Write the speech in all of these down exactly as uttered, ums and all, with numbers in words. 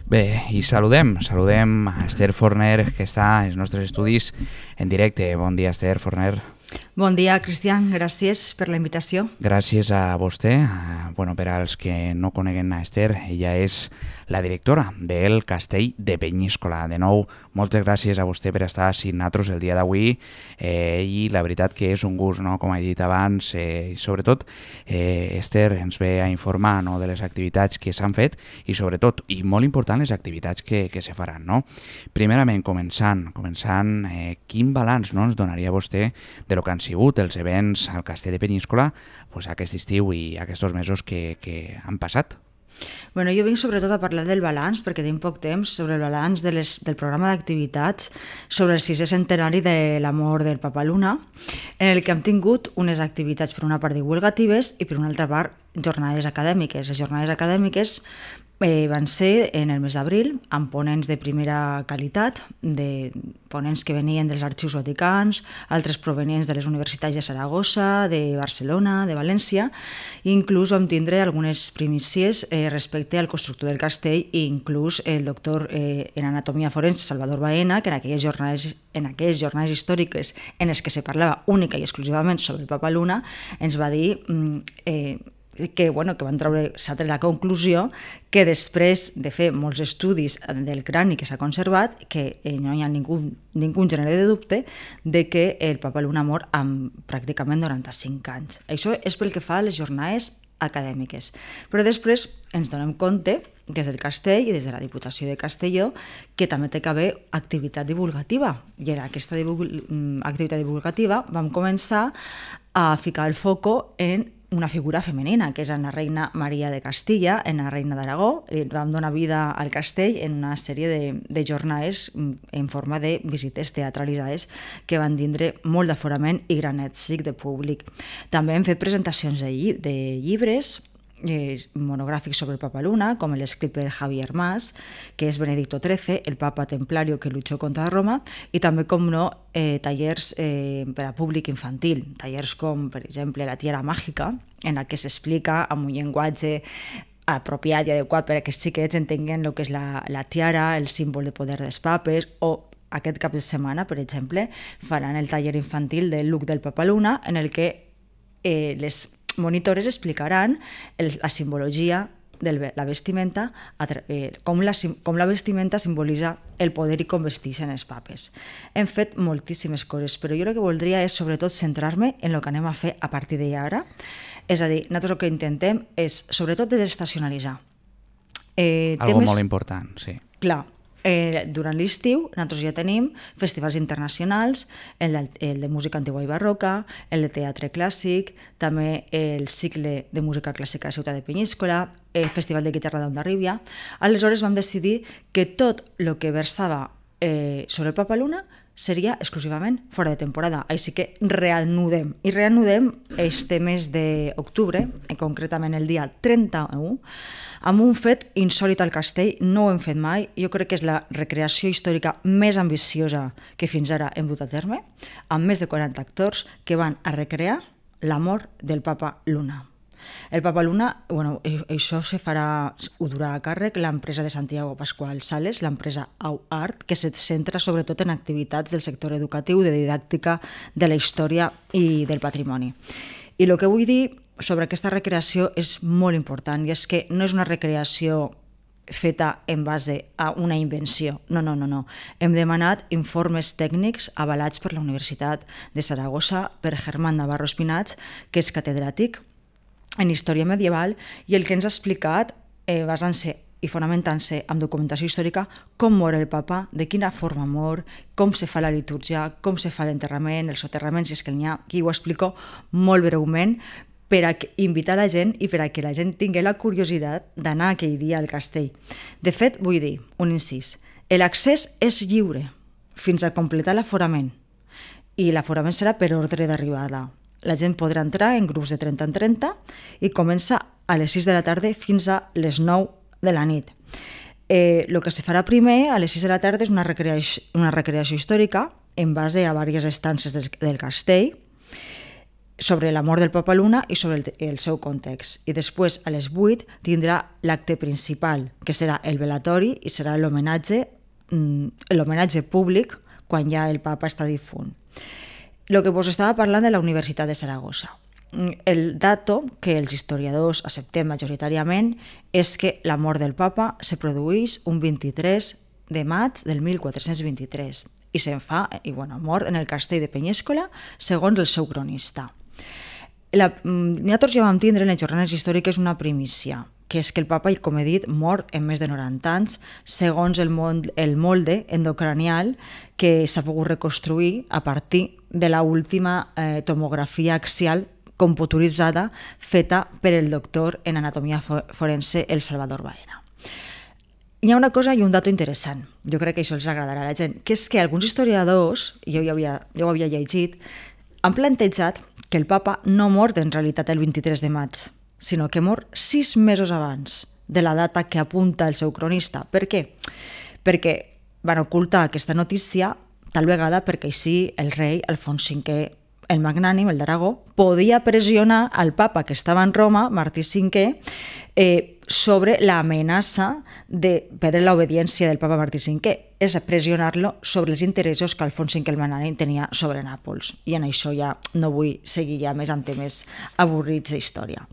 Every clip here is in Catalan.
Bé, i saludem, saludem a Esther Forner, que està als nostres estudis en directe. Bon dia, Esther Forner. Bon dia, Cristian. Gràcies per la invitació. Gràcies a vostè. Bueno, per als que no coneguen a Esther, ella és la directora del Castell de Penyíscola. De nou, moltes gràcies a vostè per estar amb nosaltres el dia d'avui eh, i la veritat que és un gust, no? Com he dit abans, eh, i sobretot eh, Esther ens ve a informar, no?, de les activitats que s'han fet i sobretot, i molt important, les activitats que, que se faran, no? Primerament, començant, començant eh, quin balanç, no?, ens donaria vostè de lo que han sigut els events al Castell de Penyíscola pues, aquest estiu i aquests mesos que, que han passat? Bueno, jo vinc sobretot a parlar del balanç, perquè tenim poc temps, sobre el balanç de les, del programa d'activitats sobre el sisè centenari de la mort del Papa Luna, en el que hem tingut unes activitats per una part divulgatives i per una altra part jornades acadèmiques. Les jornades acadèmiques eh, van ser en el mes d'abril, amb ponents de primera qualitat, de ponents que venien dels arxius vaticans, altres provenients de les universitats de Saragossa, de Barcelona, de València, i inclús vam tindre algunes primícies eh, respecte al constructor del castell i inclús el doctor eh, en anatomia forense Salvador Baena, que en aquelles jornades, en aquelles jornades històriques en les que se parlava única i exclusivament sobre el Papa Luna, ens va dir eh, que, bueno, que van treure, s'ha tret la conclusió que després de fer molts estudis del crani que s'ha conservat, que eh, no hi ha ningú, ningú gènere de dubte de que el Papa Luna mor amb pràcticament noranta-cinc anys. Això és pel que fa a les jornades acadèmiques. Però després ens donem compte, des del castell i des de la Diputació de Castelló, que també té que haver activitat divulgativa. I en aquesta divul- activitat divulgativa vam començar a ficar el foco en una figura femenina, que és la reina Maria de Castilla, en la reina d'Aragó. Vam donar vida al castell en una sèrie de, de jornades en forma de visites teatralitzades que van tindre molt d'aforament i gran èxit de públic. També hem fet presentacions de, lli de llibres Eh, monogràfics sobre el Papa Luna, com l'escrit per Javier Mas, que és Benedicto trece, el papa templario que luchó contra Roma, i també, com no, eh, tallers eh, per a públic infantil, tallers com, per exemple, La tiara màgica, en la que s'explica amb un llenguatge apropiat i adequat per a que els xiquets entenguin el que és la, la tiara, el símbol de poder dels papes, o aquest cap de setmana, per exemple, faran el taller infantil del look del Papa Luna, en el que eh, les monitores explicaran el, la simbologia de la vestimenta, eh, com, la, com la vestimenta simbolitza el poder i com vesteixen els papes. Hem fet moltíssimes coses, però jo el que voldria és sobretot centrar-me en el que anem a fer a partir d'ara. És a dir, nosaltres el que intentem és sobretot desestacionalitzar. Eh, Algo temes... molt important, sí. Clar. Eh, durant l'estiu nosaltres ja tenim festivals internacionals, el de, el de música antigua i barroca, el de teatre clàssic, també el cicle de música clàssica a Ciutat de Penyíscola, el festival de guitarra d'Hondarribia. Aleshores vam decidir que tot el que versava eh, sobre el Papa Luna seria exclusivament fora de temporada. Així que reanudem. I reanudem este mes d'octubre, concretament el dia trenta-u, amb un fet insòlit al castell. No ho hem fet mai. Jo crec que és la recreació històrica més ambiciosa que fins ara hem dut a terme, amb més de quaranta actors que van a recrear la mort del Papa Luna. El Papa Luna, bueno, això se farà, ho durà a càrrec l'empresa de Santiago Pascual Sales, l'empresa Au Art, que se centra sobretot en activitats del sector educatiu, de didàctica, de la història i del patrimoni. I el que vull dir sobre aquesta recreació és molt important, i és que no és una recreació feta en base a una invenció. No, no, no, no. Hem demanat informes tècnics avalats per la Universitat de Saragossa, per Germán Navarro Espinats, que és catedràtic en història medieval, i el que ens ha explicat, eh, basant-se i fonamentant-se en documentació històrica, com mor el papa, de quina forma mor, com se fa la litúrgia, com se fa l'enterrament, el soterrament, si és que n'hi ha, qui ho explico molt breument, per a invitar la gent i per a que la gent tingui la curiositat d'anar aquell dia al castell. De fet, vull dir, un incís, l'accés és lliure fins a completar l'aforament, i l'aforament serà per ordre d'arribada. La gent podrà entrar en grups de trenta en trenta i comença a les sis de la tarda fins a les nou de la nit. Eh, el que se farà primer, a les sis de la tarda, és una recreació, una recreació històrica en base a diverses estances del, del castell, sobre la mort del Papa Luna i sobre el, el seu context. I després, a les vuit, tindrà l'acte principal, que serà el velatori i serà l'homenatge l'homenatge públic quan ja el papa està difunt. El que vos estava parlant de la Universitat de Saragossa. El dato que els historiadors acceptem majoritàriament és que la mort del papa se produeix un vint-i-tres de maig del mil quatre-cents vint-i-tres i se'n fa, i bueno, mort en el castell de Penyéscola, segons el seu cronista. La, nosaltres ja vam tindre en les jornades històriques una primícia, que és que el papa, com he dit, mort en més de noranta anys, segons el, mol, el molde endocranial que s'ha pogut reconstruir a partir de l'última eh, tomografia axial computaritzada feta per el doctor en anatomia forense el Salvador Baena. Hi ha una cosa i un dato interessant, jo crec que això els agradarà a la gent, que és que alguns historiadors, jo ja havia, jo ho havia llegit, han plantejat que el papa no mort en realitat el vint-i-tres de maig, sinó que mor sis mesos abans de la data que apunta el seu cronista. Per què? Perquè van ocultar aquesta notícia tal vegada perquè així el rei Alfons cinquè, el magnànim, el d'Aragó, podia pressionar al papa que estava en Roma, Martí cinquè, eh, sobre l'amenaça de perdre l'obediència del papa Martí cinquè, és pressionar-lo sobre els interessos que Alfons cinquè el magnànim tenia sobre Nàpols. I en això ja no vull seguir ja més amb temes avorrits d'història.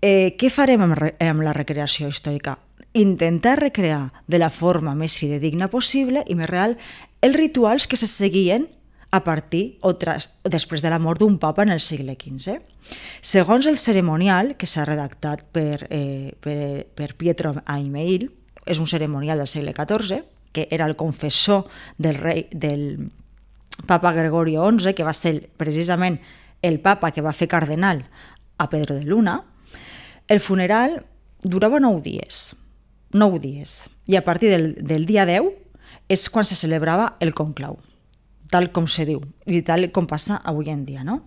Eh, què farem amb, amb la recreació històrica? Intentar recrear de la forma més fidedigna possible i més real els rituals que se seguien a partir o, tras, o després de la mort d'un papa en el segle quinze. Segons el cerimonial que s'ha redactat per, eh, per, per Pietro Aimeil, és un cerimonial del segle catorze, que era el confessor del rei del papa Gregorio onze, que va ser precisament el papa que va fer cardenal a Pedro de Luna. El funeral durava nou dies, nou dies, i a partir del, del dia deu és quan se celebrava el conclau, tal com se diu, i tal com passa avui en dia, no?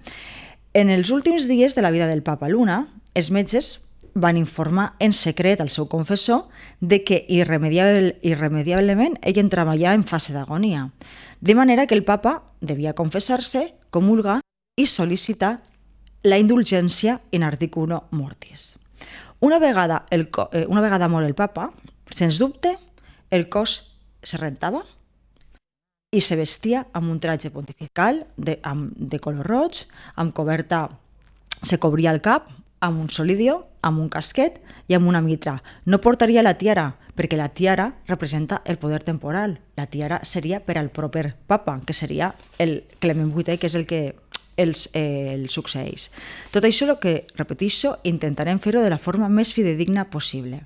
En els últims dies de la vida del papa Luna, els metges van informar en secret al seu confessor de que irremediable, irremediablement ell entrava ja en fase d'agonia, de manera que el papa devia confessar-se, comulgar i sol·licitar la indulgència in articulo mortis. Una vegada, el, una vegada mort el papa, sens dubte, el cos se rentava i se vestia amb un tratge pontifical de, amb, de color roig, amb coberta, se cobria el cap amb un solidio, amb un casquet i amb una mitra. No portaria la tiara, perquè la tiara representa el poder temporal. La tiara seria per al proper papa, que seria el Clement vuitè, que és el que els, eh, el succeeix. Tot això, el que repeteixo, intentarem fer-ho de la forma més fidedigna possible.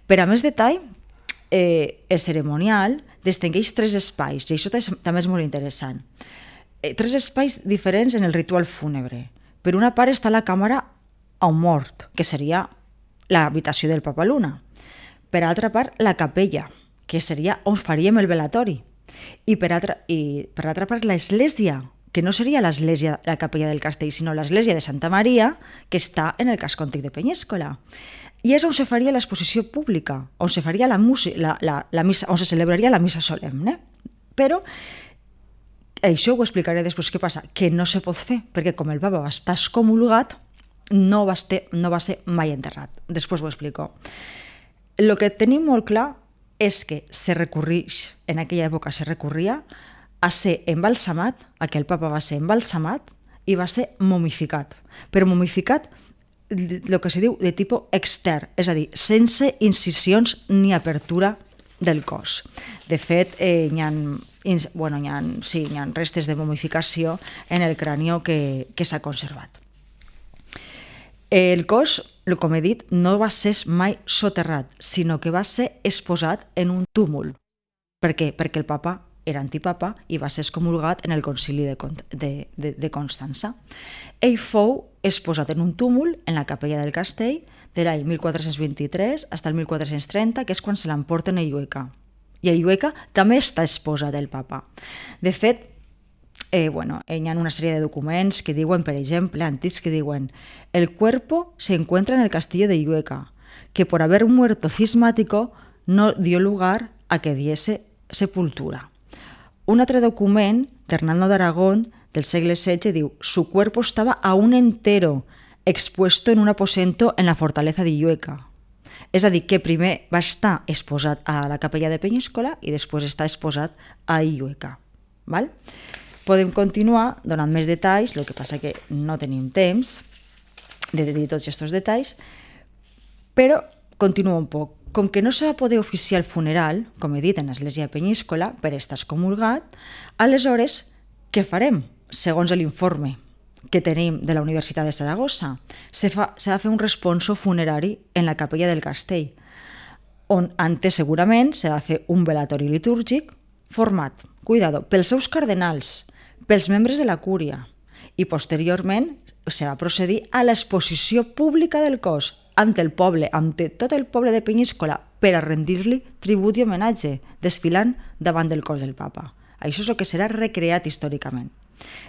Per a més detall, eh, el cerimonial distingueix tres espais, i això també és molt interessant. Eh, tres espais diferents en el ritual fúnebre. Per una part està la càmera a un mort, que seria l'habitació del papa Luna. Per altra part, la capella, que seria on faríem el velatori. I per altra, i per altra part, l'església, que no seria l'església, la capella del castell, sinó l'església de Santa Maria, que està en el casc antic de Penyéscola. I és on se faria l'exposició pública, on se faria la música, la, la, la missa, on se celebraria la missa solemne. Però això ho explicaré després què passa, que no se pot fer, perquè com el papa va estar excomulgat, no va, ser, no va ser mai enterrat. Després ho explico. El que tenim molt clar és que se recorreix, en aquella època se recorria a ser embalsamat, a que el papa va ser embalsamat i va ser momificat. Però momificat el que se diu de tipus extern, és a dir, sense incisions ni apertura del cos. De fet, eh, hi ha, bueno, hi ha, sí, hi ha restes de momificació en el crani que, que s'ha conservat. El cos, com he dit, no va ser mai soterrat, sinó que va ser exposat en un túmul. Per què? Perquè el papa era antipapa i va ser excomulgat en el concili de, de, de, de Constança. Ell fou exposat en un túmul en la capella del castell de l'any mil quatre-cents vint-i-tres fins al mil quatre-cents trenta, que és quan se l'emporten a Llueca. I a Llueca també està exposat el papa. De fet, eh, bueno, hi ha una sèrie de documents que diuen, per exemple, antics que diuen el cuerpo se encuentra en el castillo de Llueca, que por haber muerto cismático no dio lugar a que diese sepultura. Un altre document d'Hernando d'Aragón del segle setze, diu «Su cuerpo estaba aún entero, expuesto en un aposento en la fortaleza de Illueca». És a dir, que primer va estar exposat a la capella de Penyíscola i després està exposat a Illueca. Val? Podem continuar donant més detalls, el que passa que no tenim temps de dir tots aquests detalls, però continuo un poc. Com que no se va poder oficiar el funeral, com he dit, en l'església de Penyíscola, per estar excomulgat, aleshores, què farem? Segons l'informe que tenim de la Universitat de Saragossa, se, fa, se va fer un responso funerari en la capella del castell, on antes segurament se va fer un velatori litúrgic format, cuidado, pels seus cardenals, pels membres de la cúria, i posteriorment se va procedir a l'exposició pública del cos ante el poble, ante tot el poble de Penyíscola, per a rendir-li tribut i homenatge, desfilant davant del cos del papa. Això és el que serà recreat històricament.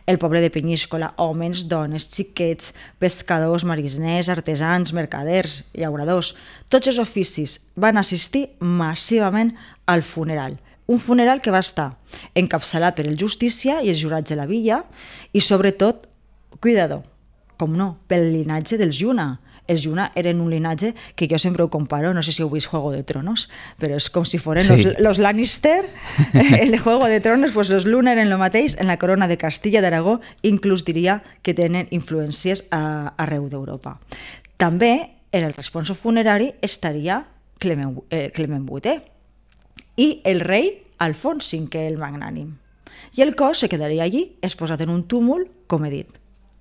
El poble de Penyíscola, homes, dones, xiquets, pescadors, mariners, artesans, mercaders, llauradors, tots els oficis van assistir massivament al funeral. Un funeral que va estar encapçalat per el justícia i els jurats de la villa i, sobretot, cuidado, com no, pel linatge dels Lluna. Els Lluna eren un linatge que jo sempre ho comparo, no sé si heu vist Juego de Tronos, però és com si foren sí. los, los Lannister, en el Juego de Tronos, pues los Luna eren el mateix, en la corona de Castilla d'Aragó, inclús diria que tenen influències a, arreu d'Europa. També en el responso funerari estaria Clement, eh, Clement vuitè i el rei Alfons cinquè el Magnànim. I el cos se quedaria allí, exposat en un túmul, com he dit,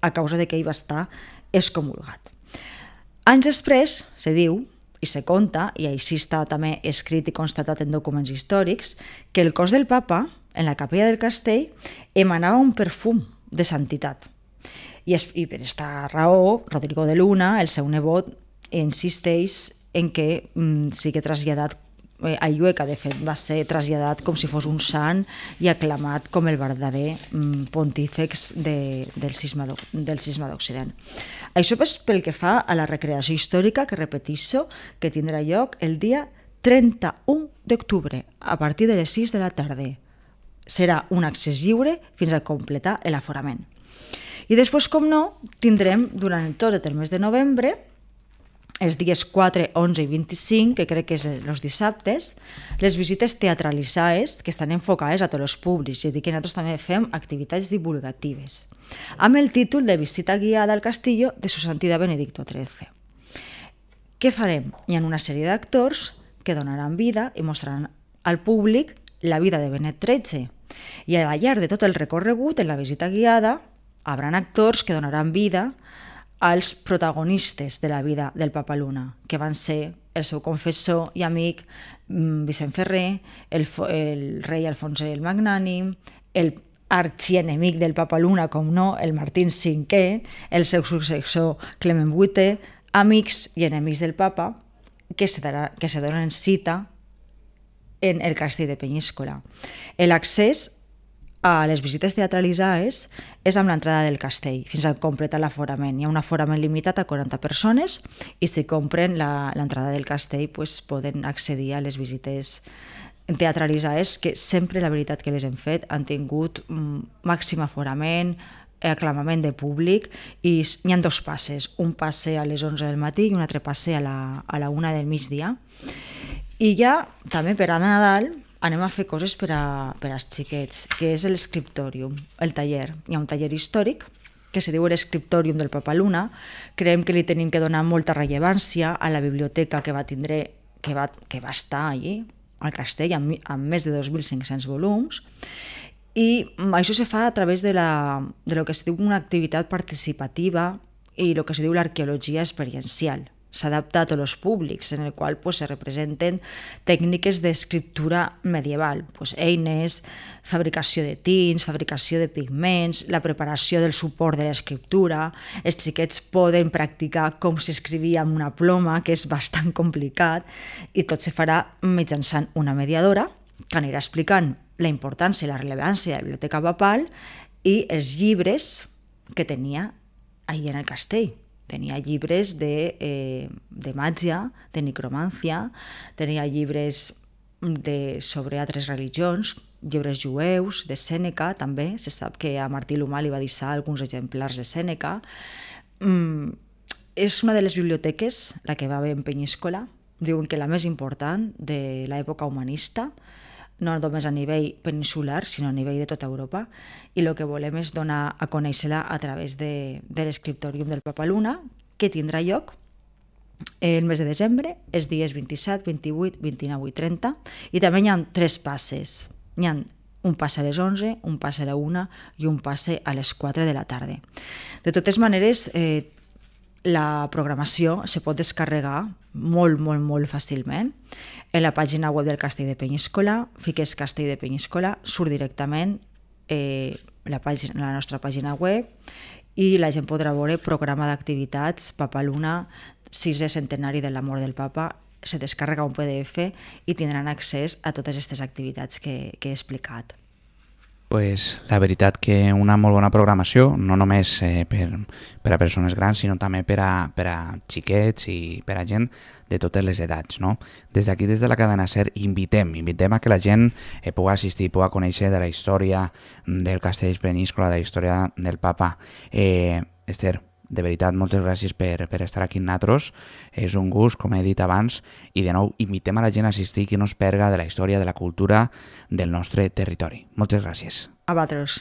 a causa de que ell va estar excomulgat. Anys després, se diu, i se conta, i així està també escrit i constatat en documents històrics, que el cos del papa, en la capella del castell, emanava un perfum de santitat. I, es, i per aquesta raó, Rodrigo de Luna, el seu nebot, insisteix en que mm, sigui traslladat a Illueca, de fet, va ser traslladat com si fos un sant i aclamat com el verdader pontífex de, del cisma d'Occident. Això és pel que fa a la recreació històrica, que repeteixo, que tindrà lloc el dia trenta-u d'octubre, a partir de les sis de la tarda. Serà un accés lliure fins a completar l'aforament. I després, com no, tindrem durant tot el mes de novembre, els dies quatre, onze i vint-i-cinc, que crec que són els dissabtes, les visites teatralitzades que estan enfocades a tots els públics, és a dir, que nosaltres també fem activitats divulgatives, amb el títol de Visita guiada al Castillo de Su Santidad Benedicto tretze. Què farem? Hi ha una sèrie d'actors que donaran vida i mostraran al públic la vida de Benet tretze. I al llarg de tot el recorregut, en la visita guiada, hi haurà actors que donaran vida als protagonistes de la vida del Papa Luna, que van ser el seu confessor i amic Vicent Ferrer, el, el rei Alfons el Magnànim, el arxienemic del Papa Luna, com no, el Martín cinquè, el seu successor Clement vuitè, amics i enemics del Papa, que se, darà, que se donen cita en el castell de Penyíscola. L'accés a les visites teatralitzades és amb l'entrada del castell, fins a completar l'aforament. Hi ha un aforament limitat a quaranta persones i si compren l'entrada del castell pues, poden accedir a les visites teatralitzades que sempre, la veritat que les hem fet, han tingut màxim aforament, aclamament de públic i hi ha dos passes, un passe a les onze del matí i un altre passe a la, a la una del migdia. I ja, també per a Nadal, anem a fer coses per, a, per als xiquets, que és l'escriptòrium, el taller. Hi ha un taller històric que se diu l'escriptòrium del Papa Luna. Creiem que li tenim que donar molta rellevància a la biblioteca que va tindre, que va, que va estar allí, al castell, amb, amb més de dos mil cinc-cents volums. I això se fa a través de, la, de lo que se diu una activitat participativa i el que se diu l'arqueologia experiencial. S'adapta a tots els públics, en el qual pues, se representen tècniques d'escriptura medieval, pues, eines, fabricació de tints, fabricació de pigments, la preparació del suport de l'escriptura. Els xiquets poden practicar com s'escrivia amb una ploma, que és bastant complicat, i tot se farà mitjançant una mediadora que anirà explicant la importància i la rellevància de la biblioteca papal i els llibres que tenia allà en el castell. Tenia llibres de, eh, de màgia, de necromància, tenia llibres de, sobre altres religions, llibres jueus, de Sèneca també, se sap que a Martí l'Humà li va deixar alguns exemplars de Sèneca. Mm, és una de les biblioteques, la que va haver en Penyíscola, diuen que la més important de l'època humanista, no només a nivell peninsular, sinó a nivell de tota Europa, i el que volem és donar a conèixer-la a través de, de l'escriptòrium del Papaluna, que tindrà lloc el mes de desembre, els dies vint-i-set, vint-i-vuit, vint-i-nou i trenta, i també hi ha tres passes. Hi ha un passe a les onze, un passe a la una i un passe a les quatre de la tarda. De totes maneres, eh, la programació se pot descarregar molt, molt, molt fàcilment. En la pàgina web del Castell de Penyíscola, fiques Castell de Penyíscola, surt directament eh, la, pàgina, la nostra pàgina web i la gent podrà veure programa d'activitats, Papaluna, sisè centenari de la mort del papa, se descarrega un P D F i tindran accés a totes aquestes activitats que, que he explicat. Pues la veritat que una molt bona programació, no només eh, per, per a persones grans, sinó també per a, per a xiquets i per a gent de totes les edats, no? Des d'aquí, des de la cadena SER, invitem, invitem a que la gent eh, pugui assistir, pugui conèixer de la història del Castell de Penyíscola, de la història del papa. Eh, Esther, de veritat, moltes gràcies per, per estar aquí amb nosaltres. És un gust, com he dit abans, i de nou invitem a la gent a assistir que no es perga de la història, de la cultura del nostre territori. Moltes gràcies. A vosaltres.